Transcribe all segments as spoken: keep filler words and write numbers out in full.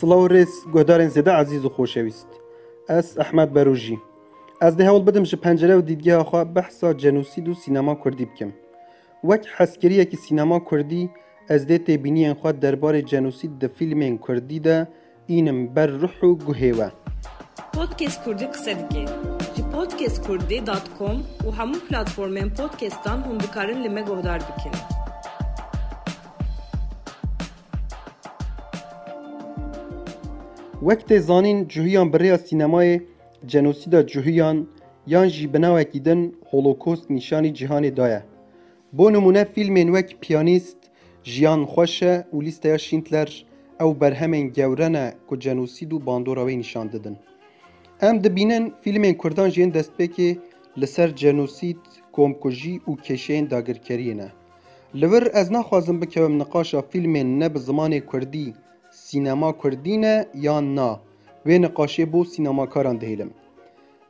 Silav û rêz, guhdarên zêde ezîz û xoşewîst. Ez Ehmed Berojî. Ez dê hewl bidim ji pencere û dîdgeha xwe behsa cenosîd û sînema kurdî bikim. Wek hezkiriyekî sînema kurdî, ez dê têbîniyên xwe derbarê cenosîd di fîlmên kurdî de înim ber ruh û guhê we. Podcast Kurdî qise dike. Ji podcast kurdî dot com û hemû platformên podcastan hûn dikarin li me guhdar bikin. Wek tê zanîn, Cuhiyan bi rêya sînemayê cenosîda Cuhiyan yan jî bi navekî din Holokost nîşanî cîhanê daye. Bo nimûne, fîlmên wek Piyanîst, Jiyan Xweş e û Lîsteya Şîndler ew berhemên gewre ne ku cenosîd û bandora wê nîşan didin. Em dibînin fîlmên kurdan jî yên destpêkê li ser cenosîd, komkujî û kêşeyên dagirkeriyê ne. Li vir ez naxwazim bikevim niqaşa fîlmên ne bi zimanê kurdî, sînema kurdî ne yan na, wê niqaşê bo sînemakaran dihêlim.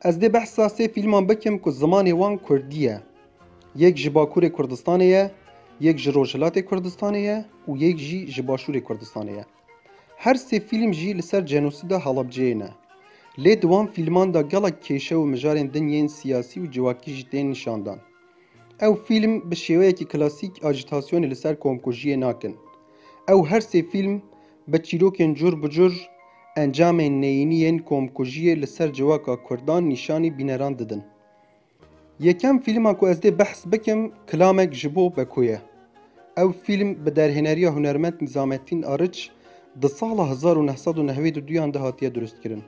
Ez dê behsa sê fîlman bikim ku zimanê wan kurdî ye. Yek ji Bakurê Kurdistanê ye, yek ji Rojhilatê Kurdistanê ye û yek jî ji Başûrê Kurdistanê ye. Her sê fîlm jî li ser cenosîda Helebceyê ne. Lê di wan fîlman de gelek kêşe û mijarên din yên siyasî û civakî jî tên nîşandan. Ew fîlm bi şêweyekî klasîk ajîtasyonê li ser komkujiyê nakin. Ew her sê fîlm bi çîrokên cur bi cur encamên neyînî yên komkujiyê li ser civaka kurdan nîşanî bîneran didin. Yekem fîlma ku ez dê behs bikim, Kilamek ji bo Beko ye. Ew fîlm bi derhêneriya hunermend Nîzamettin Arıç di sala hezar û neh sed û nehwêd û duyan de hatiye durustkirin.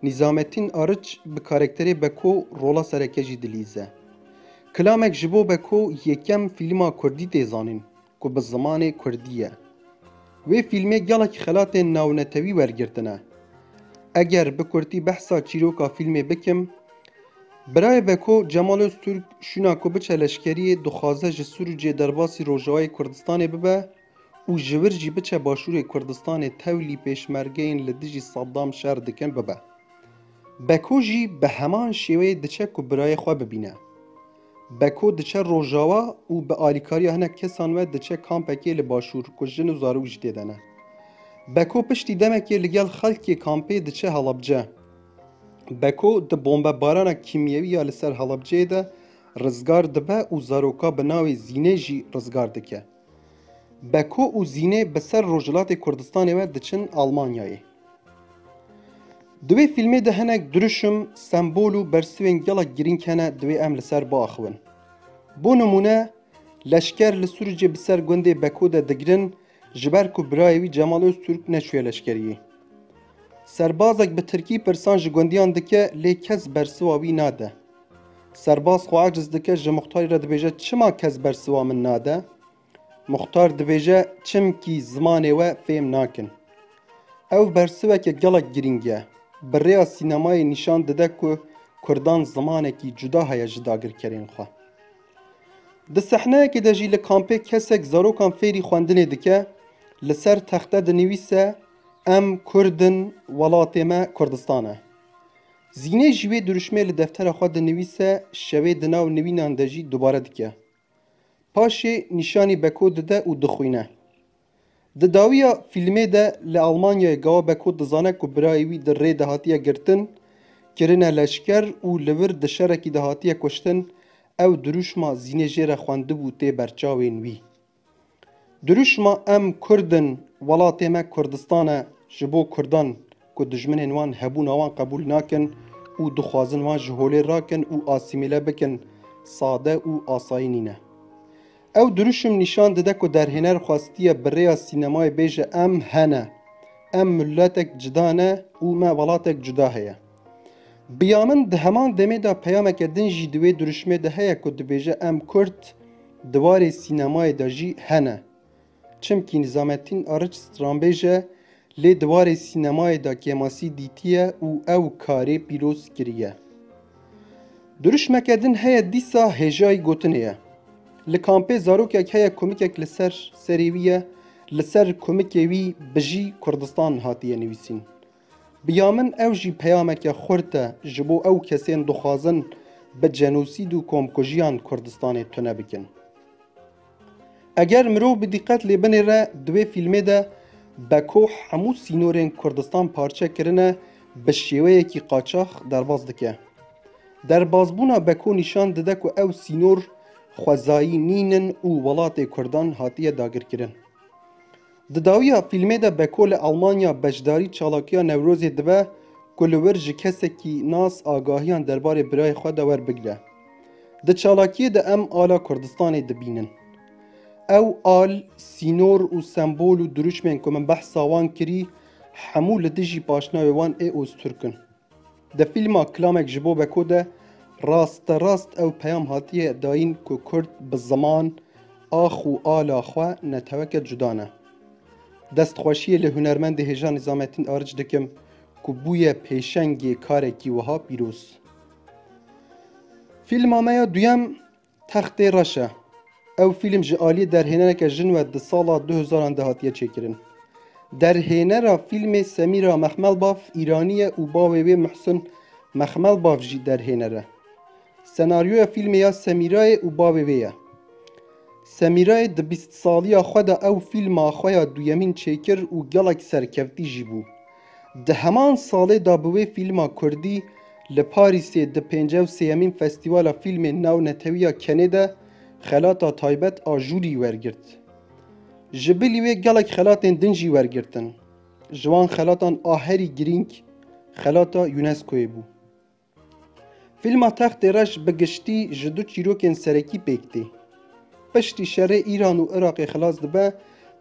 Nîzamettin Arıç bi karakterê Beko rola sereke jî dilîze. Kilamek ji bo Beko yekem fîlma kurdî tê zanîn ku bi zimanê kurdî ye. Wê fîlmê gelek xelatên navnetewî wergirtine. Eger bi kurtî behsa çîroka fîlmê bikim, birayê Beko, Cemal Öztürk, şûna ku biçe leşkeriyê, dixwaze ji Sûrûcê derbasî Rojavayê Kurdistanê bibe û ji vir jî biçe Başûrê Kurdistanê tevlî pêşmergeyên li dijî Saddam şer dikin bibe. Beko jî bi heman şêweyê diçe ku birayê xwe bibîne. Beko diçe Rojawa û bi alîkariya hinek kesan ve diçe kampekê li Başûr ku jin û zarok jî tê de ne. Beko piştî demekê li gel xelkê kampê diçe Helebce. Beko di bombebarana kîmyewî ya li ser Helebceyê de rizgar dibe û zaroka bi navê Zînê jî rizgar dike. Beko û Zînê bi ser Rojhilatê Kurdistanê ve diçin Almanyayê. Di wê fîlmê de hinek duruşim, sembol û bersivên gelek girîng hene, divê em li ser biaxivin. Bo nimûne, leşker li Sûrûcê bi ser gundê Beko de digirin, ji ber ku birayê wî Cemal Öztürk neçûye leşkeriyê. Serbazek bi tirkî pirsan ji gundiyan dike, lê kes bersiva wî nade. Serbaz xwe aciz dike, ji muxtarî re dibêje, "Çima kes bersiva min nade?" Muxtar dibêje, "Çimkî zimanê we fêm nakin." Ew bersiveke gelek girîng e. Bi rêya sînemayê nîşan dide ku kurdan zimanekî cuda heye ji dagirkerên xwe. Di sehneyekê de jî li kampê kesek zarokan fêrî xwendinê dike, li ser texte dinivîse, "Em kurd in, welatê me Kurdistan e." Zînê jî wê duruşmê li deftera xwe dinivîse, şevê di nav nivînan de jî dubare dike. Paşê nîşanî Beko dide û dixwîne. Di dawiya fîlmê de li Almanyayê gawa Beko dizane ku birayê wî di rê de hatiye girtin, kirine leşker û li vir di şerekî de hatiye kuştin, ew dirûşma Zînê jê re xwendibû tê berçavên wî. Dirûşma "Em kurd in, welatê me Kurdistan e" ji bo kurdan ku dijminên wan hebûna wan qebûl nakin û dixwazin wan ji holê rakin û asîmîle bikin, sade û asayî nîne. Ew dirûşim nîşan dide ku derhêner xwestiye bi rêya sînemayê bêje, "Em hene. Em miletek cuda ne û me welatek cuda heye." Bi ya min di heman demê de peyameke din jî di wê dirûşmê de heye ku dibêje, "Em kurd di warê sînemayê de jî hene." Çimkî Nizamettin Arıç stranbêj e, lê di warê sînemayê de kêmasî dîtiye û ew karê pîroz kiriye. Dirûşmeke din heye dîsa hêjayî gotinê ye. Li kampê zarokek heye kumikek li ser serê wî ye, li ser kumikê wî "Bijî Kurdistan" hatiye nivîsîn. Bi ya min ew jî peyameke xurt e ji bo ew kesên dixwazin bi cenosîd û komkujiyan Kurdistanê tune bikin. Eger mirov bi dîqet lê binêre, di wê fîlmê de Beko hemû sînorên Kurdistan parçe kirine, bi şêweyekî qaçax derbas dike. Derbasbûna Beko nîşan dide ku ew sînor xwezayî nînin û welatê Kurdan hatiye dagirkirin. Di dawiya fîlmê de Beko li Almanya beşdarî çalakiya Newrozê dibe ku li wir ji kesekî nas agahiyan derbarê birayê xwe de werbigire. Di çalakiyê de em ala Kurdistanê dibînin. Ew al, sînor û sembol û dirûşmên ku min behsa wan kirî, hemû li dijî paşnawê wan ê Ozturk in. Di fîlma Kilamek ji bo Beko de rasterast ew peyam hatiye dayîn ku Kurd bi ziman, ax û ala xwe neteweke cuda ne. Destxweşiyê li hunermendê hêja Nizamettin Arıç dikim ku bûye pêşengê karekî wiha pîroz. Fîlma me ya duyem Textê Reş e. Ew fîlm ji aliyê derhênereke jin ve di sala du hezaran de hatiye çêkirin. Derhênera fîlmê Semîra Mexmelbaf Îranî ye û bavê wê Muhsin Mexmelbaf jî derhêner e. Senaryoya fîlmê ya Semîrayê û bavê wê ye. Semîrayê di bîst saliya xwe de ew fîlma xwe ya duyemîn çêkir û gelek serkevtî jî bû. Di heman salê de bi wê fîlma kurdî li Parîsê di pêncî û sêyemîn Festîvala Fîlmên Navnetewî ya Kenê de xelata taybet a jûrî wergirt. Ji bilî wê gelek xelatên din jî wergirtin. Ji wan xelatan a herî girîng xelata UNESCOyê bû. Fîlma Textê Reş bi giştî ji du çîrokên serekî pêk tê. Piştî şerê Îran û Iraqê xilas dibe,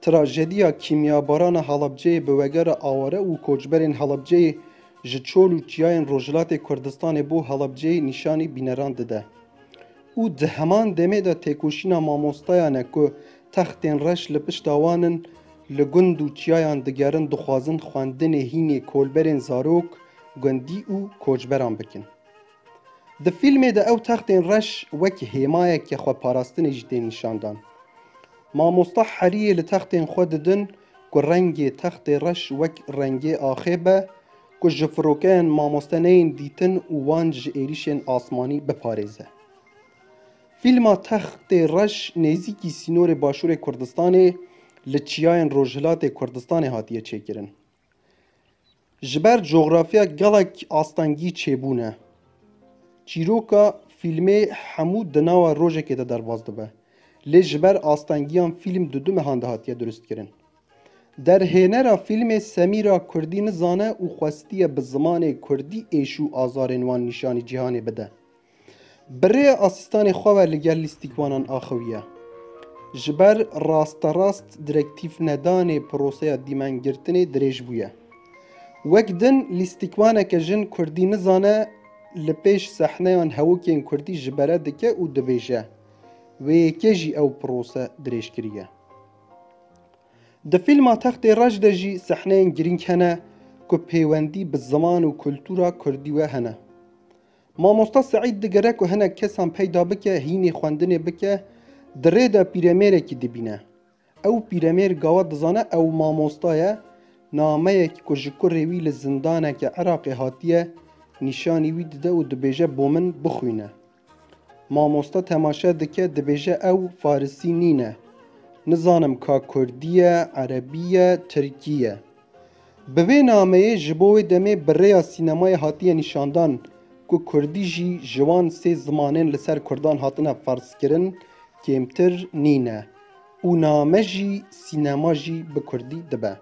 trajediya kîmyabarana Halebceyê bi wegera aware û koçberên Halebceyê ji çol û çiyayên Rojhilatê Kurdistanê bo Halebceyê nîşanî bîneran dide. Û di heman demê de têkoşîna mamostayan e ku Textên Reş li pişta wan in, li gund û çiyayan digerin, dixwazin xwendinê hînê kolberên zarok, gundî û koçberan bikin. Di fîlmê de ew textên reş wek hêmayeke xweparastinê jî tên nîşandan. Mamosta heriyê li textên xwe didin ku rengê textê reş wek rengê axê be, ku ji firokeyên mamoste neyên dîtin û wan ji êrîşên asmanî biparêze. Fîlma Textê Reş nêzîkî sînorê Başûrê Kurdistanê li çiyayên Rojhilatê Kurdistanê hatiye çêkirin. Ji ber coxrafiya gelek astengî çêbûne. Çîroka fîlmê hemû di nava rojekê de derbas dibe. Lê ji ber astengiyan fîlm di du mehan de hatiye durustkirin. Derhênera fîlmê Semîra kurdî nizane û xwestiye bi zimanê kurdî êş û azarên wan nîşanî cîhanê bide. Bi rêya asîstanê xwe ve li gel lîstikwanan axiviye. Ji ber rasterast direktîf nedanê proseya dîmengirtinê dirêj bûye. Wek din lîstikwaneke jin kurdî nizane li pêş sehneyan hewokên kurdî ji bere dike û dibêje, wê yekê jî ew prose dirêj kiriye. Di fîlma Textê Reş de jî sehneyên girîng hene ku pêwendî bi ziman û kultura kurdî we hene. Mamosta Seîd digere ku hinek kesan peyda bike, hînê xwendinê bike, di rê de pîremêrekî dibîne. Ew pîremêr gawa dizane ew mamosta ye, nameyek ku ji kurê wî li zindaneke Iraqê hatiye, nîşanî wî dide û dibêje bo min bixwîne. Mamosta temaşe dike, dibêje ew farisî nîne. Nizanim ka kurdî ye, erebî ye, tirkî ye. Bi vê nameyê ji bo wê demê bi rêya sînemayê hatiye nîşandan ku kurdî jî ji wan sê zimanên li ser kurdan hatine ferzkirin kêmtir nîne û name jî sînema jî bi kurdî dibe.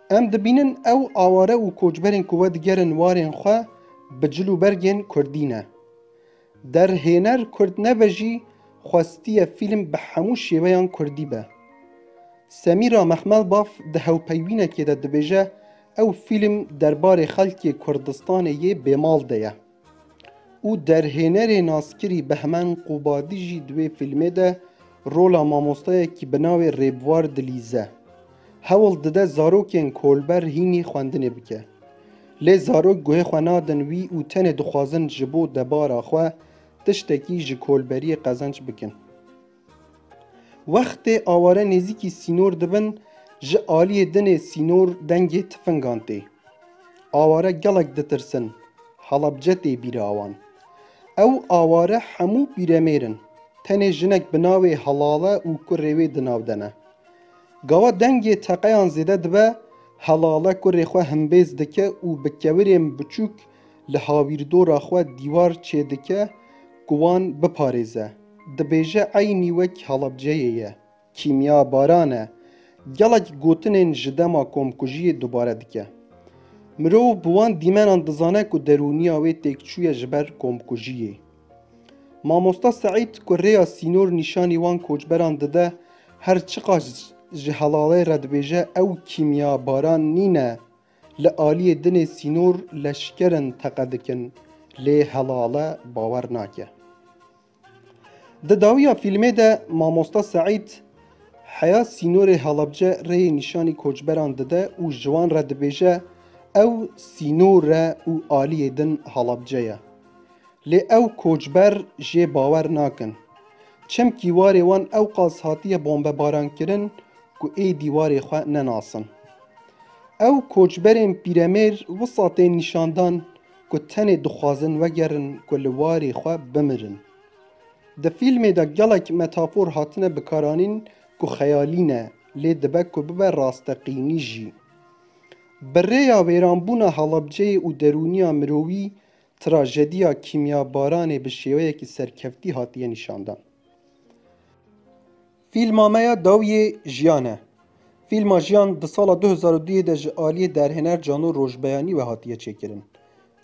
Em dibînin ew aware û koçberên ku vedigerin warên xwe bi cil û bergên kurdî ne. Derhêner kurd nebe jî xwestiye fîlm bi hemû şêweyan kurdî be. Semîra Mexmelbaf di hewpeyvînekê de dibêje, ew fîlm derbarê xelkê Kurdistanê yê bêmal de ye. Û derhênerê naskirî Behmen Qubadî jî di wê fîlmê de rola mamostayekî bi navê Rêbwar dilîze. Hewl dide zarokên kolber hînî xwendinê bike. Lê zarok guhê xwe nadin wî û tenê dixwazin ji bo debara xwe tiştekî ji kolberiyê qezenc bikin. Wextê aware nêzîkî sînor dibin, ji aliyê dinê sînor dengê tifingan tê. Aware gelek ditirsin, Halabce tê bîra wan. Ew aware hemû pîremêr in. Tenê jinek bi navê Helale û kurê wê di nav de ne. Gawa dengê teqeyan zêde dibe, Helale kurê xwe himbêz dike û bi kevirên biçûk li hawîrdora xwe dîwar çêdike ku wan biparêze. Dibêje eynî wek Halabceyê ye. Kîmyabaran e. Gelek gotinên ji dema komkujiyê dubare dike. Mirov bi wan dîmenan dizane ku derûniya wê têkçûye ji ber komkujiyê. Mamosta Seîd ku rêya sînor nîşanî wan koçberan dide, her çiqas ji Helalê re dibêje ew kîmyabaran nîne, li aliyê dinê sînor leşker in teqe dikin, lê Helale bawer nake. Di dawiya fîlmê de Mamosta Seîd heya sînorê Halabce rêyê nîşanî koçberan dide û ji wan re dibêje ew sînor e û aliyê din Halabce ye. Lê ew koçber jê bawer nakin. Çimkî warê wan ewqas hatiye bombebarankirin ku êdî warê xwe nenasin. Ew koçberên pîremêr wisa tên nîşandan ku tenê dixwazin wegerin ku li warê xwe bimirin. Di fîlmê de gelek metafor hatine bikaranîn ku xeyalî ne, lê dibe ku bibe rasteqînî jî. Bi rêya wêranbûna Halabceyê û derûniya mirovî, trajediya kîmyabaranê bi şêweyekî serkeftî hatiye nîşandan. Fîlma me ya dawiyê Jiyan e. Fîlma Jiyan di sala du hezar û duyê de ji aliyê derhêner Cano Rojbeyanî ve hatiye çêkirin.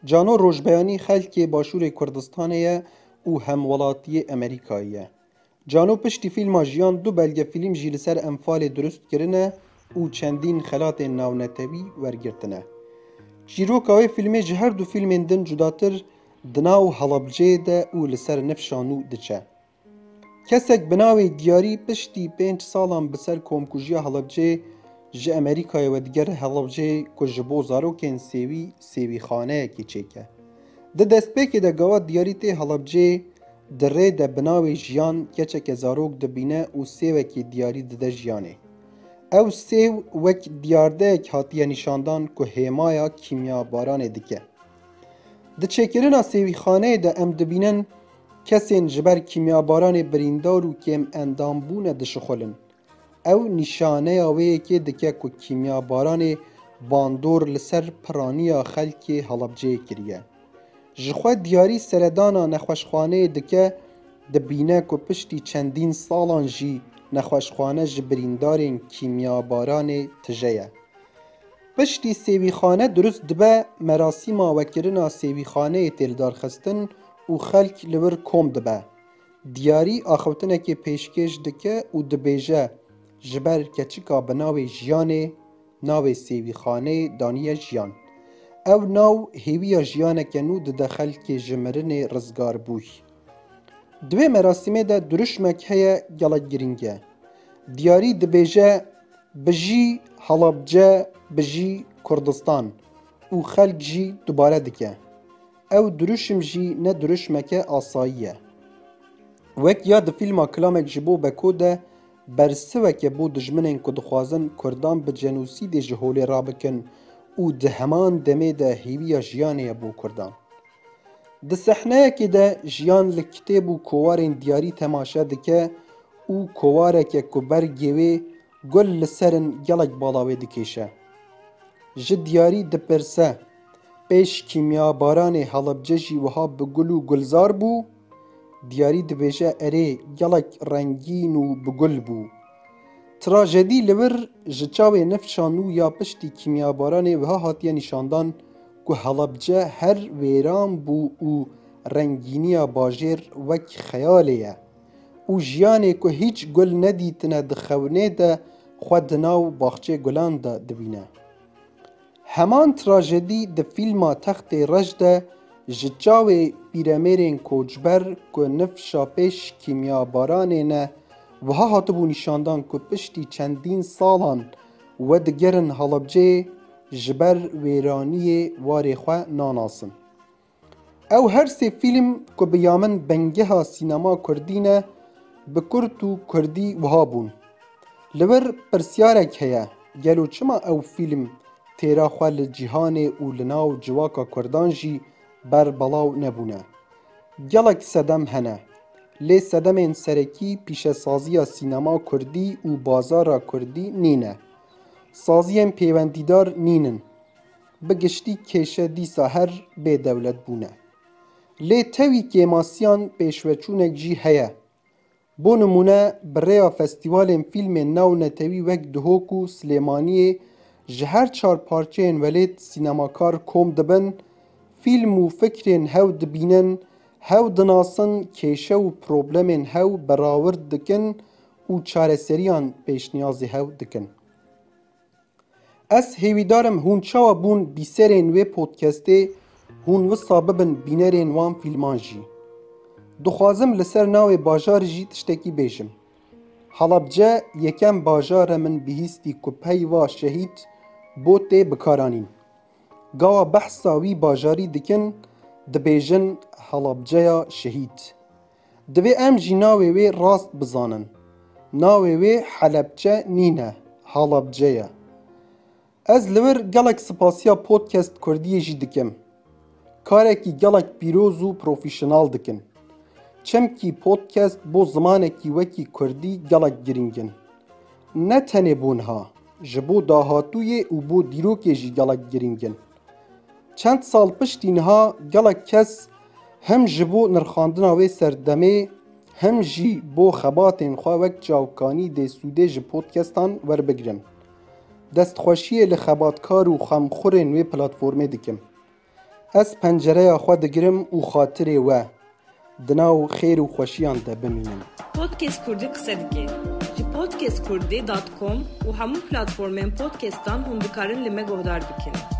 Cano Rojbeyanî xelkê Başûrê Kurdistanê ye û hemwelatiyê Amerîkayê ye. Cano piştî fîlma Jiyan du belgefîlm jî li ser Enfalê dirust kirine û çendîn xelatên navnetewî wergirtine. Çîroka wê fîlmê ji her du fîlmên din cudatir di nav Halabceyê de û li ser nifşa nû diçe. Kesek bi navê Diyarî piştî pênc salan bi ser komkujiya Halabceyê ji Amerîkayê vedigere Halabceyê ku ji bo zarokên sêwî sêwîxaneyekê çêke. Di destpêkê de gava Diyarî tê Halabceyê, di rê de bi navê Jiyan keçeke zarok dibîne û sêwekî Diyarî dide Jiyanê. Ew sêw wek diyardeyek hatiye nîşandan ku hêmaya kîmyabaranê dike. Di çêkirina sêwîxaneyê de em dibînin kesên ji ber kîmyabaranê birîndar û kêm endam bûne dişixulin. Ew nîşaneya wê yekê dike ku kîmyabaranê bandor li ser piraniya xelkê Halabceyê kiriye. Ji xwe Diyarî seredana nexweşxaneyê dike, dibîne ku piştî çendîn salan jî nexweşxane ji birîndarên kîmyabaranê tije ye. Piştî sêwîxane dirust dibe, merasîma wekirina sêwîxaneyê tê lidarxistin û xelk li wir kom dibe. Diyarî axiftinekê pêşkêş dike û dibêje, ji ber keçika bi navê Jiyanê, navê sêwîxaneyê daniye Jiyan. Ew nav hêviya jiyaneke nû dide xelkê ji mirinê rizgarbûy. Di vê merasîmê de duruşmek heye gelek girîng e. Diyarî dibêje, bijî Halabce, bijî Kurdistan û xelk jî dubare dike. Ew duruşim jî ne duruşmeke asayî ye. Wek ya di fîlma Kilamek ji bo Beko de bersiveke bo dijminên ku dixwazin Kurdan bi cenosîdê ji holê rabikin û di heman demê de hêviya jiyanê ye bo Kurdan. Di sehneyekê de Jiyan li kitêb û kowarên Diyarî temaşe dike û kowareke ku bergê wê gul li ser in gelek bala wê dikêşe. Ji Diyarî dipirse, pêş kîmyabaranê Halebce jî wiha bi gul û gulzar bû? Diyarî dibêje, erê, gelek rengîn û bi gul bû. Trajedî li vir ji çavê nifşa nû ya piştî kîmyabaranê wiha hatiye nîşandan ku Helebce her wêran bû û rengîniya bajêr wek xeyalê ye û jiyanê ku hîç gul nedîtine di xewnê de xwe di nav baxçê gulan de dibîne. Heman trajedî di fîlma Textê Reş de ji çavê pîremêrên koçber ku nifşa pêş kîmyabaranê ne, wiha hatibû nîşandan ku piştî çendîn salan wedigerin Halebceyê, ji ber wêraniyê warê xwe nanasin. Ew her sê fîlm ku bi ya min bingeha sînema kurdî ne, bi kurt û kurdî wiha bûn. Li vir pirsyarek heye, gelo çima ew fîlm têra xwe li cîhanê û li nav civaka kurdan jî ber belav nebûne? Gelek sedem hene. Lê sedemên serekî pîşesaziya sînema kurdî û bazara kurdî nîne. Saziyên pêwendîdar nînin. Bi giştî kêşe dîsa her bê dewlet bûne. Lê tewî kêmasiyan pêşveçûnek jî heye. Bo nimûne, bi rêya festîvalên fîlmên navnetewî wek Duhok û Silêmaniyê ji her çar parçeyên welêt sînemakar kom dibin, fîlm û fikrên hew dibînin, hew dinasin, kêşe û problemên hew berawird dikin û çareseriyan pêşniyazê hew dikin. Ez hêvîdar im hûn çawa bûn bîserên wê podcastê, hûn wisa bibin bînerên wan fîlman jî. Dixwazim li ser navê bajarê jî tiştekî bêjim. Halabce yekem bajar e min bihîstî ku peyva şehîd bo tê bikaranîn. Gawa behsa wî bajarî dikin, dibêjin Halabceya Şehîd. Divê em jî navê wê rast bizanin. Navê wê Helebçe nîne, Halabce ye. Ez li wir gelek spasiya podcast kurdiyê jî dikim. Karekî gelek pîroz û profesyonel dikin. Çimkî podcast bo zimanekî wekî kurdî gelek girîng in. Ne tenê bo niha, ji bo dahatûyê û bo dîrokê jî gelek girîng in. Çend sal piştî niha gelek kes hem ji bo nirxandina wê serdemê, hem jî bo xebatên xwe wek çavkanî dê sûdê ji podcastan werbigirin. Destxweşiyê li xebatkar û xemxurên wê platformê dikim. Ez pencereya xwe digirim û xatirê we di nav xêr û xweşiyan de bimînin. Podcast Kurdî qise dike. Ji podcast kurdî dot com û hemû platformên podcastan hûn dikarin li me guhdar bikin.